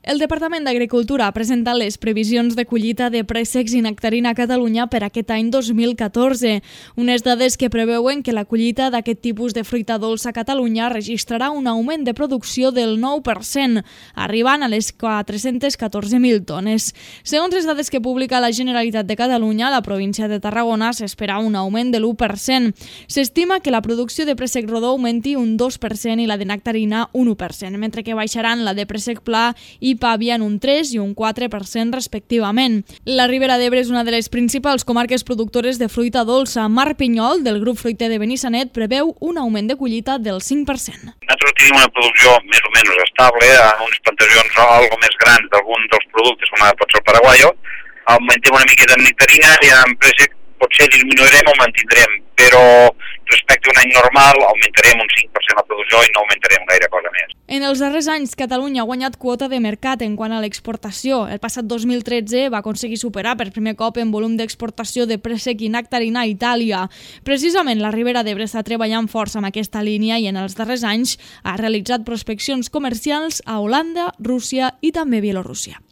El Departament d'Agricultura ha presentat les previsions de collita de préssecs i nectarina a Catalunya per aquest any 2014. Unes dades que preveuen que la collita d'aquest tipus de fruita dolça a Catalunya registrarà un augment de producció del 9%, arribant a les 414.000 tones. Segons les dades que publica la Generalitat de Catalunya, a la província de Tarragona s'espera un augment de l'1%. S'estima que la producció de préssec rodó augmenti un 2% i la de nectarina un 1%, mentre que baixaran la de préssec pla i pàvia en un 3 i un 4% respectivament. La Ribera d'Ebre és una de les principals comarques productores de fruita dolça. Marc Pinyol, del grup fruiter de Benissanet, preveu un augment de collita del 5%. Nosaltres tenim una producció més o menys estable, amb unes plantacions algo més grans d'algun dels productes, com pot ser el paraguaio. Augmentem una miqueta de nectarina i en préssec potser disminuirem o mantindrem, però respecte a un any normal augmentarem un 5% la producció i no augmentarem gaire cosa més. En els darrers anys, Catalunya ha guanyat quota de mercat en quant a l'exportació. El passat 2013 va aconseguir superar per primer cop en volum d'exportació de préssec i nectarina a Itàlia. Precisament la Ribera d'Ebre està treballant força amb aquesta línia i en els darrers anys ha realitzat prospeccions comercials a Holanda, Rússia i també Bielorússia.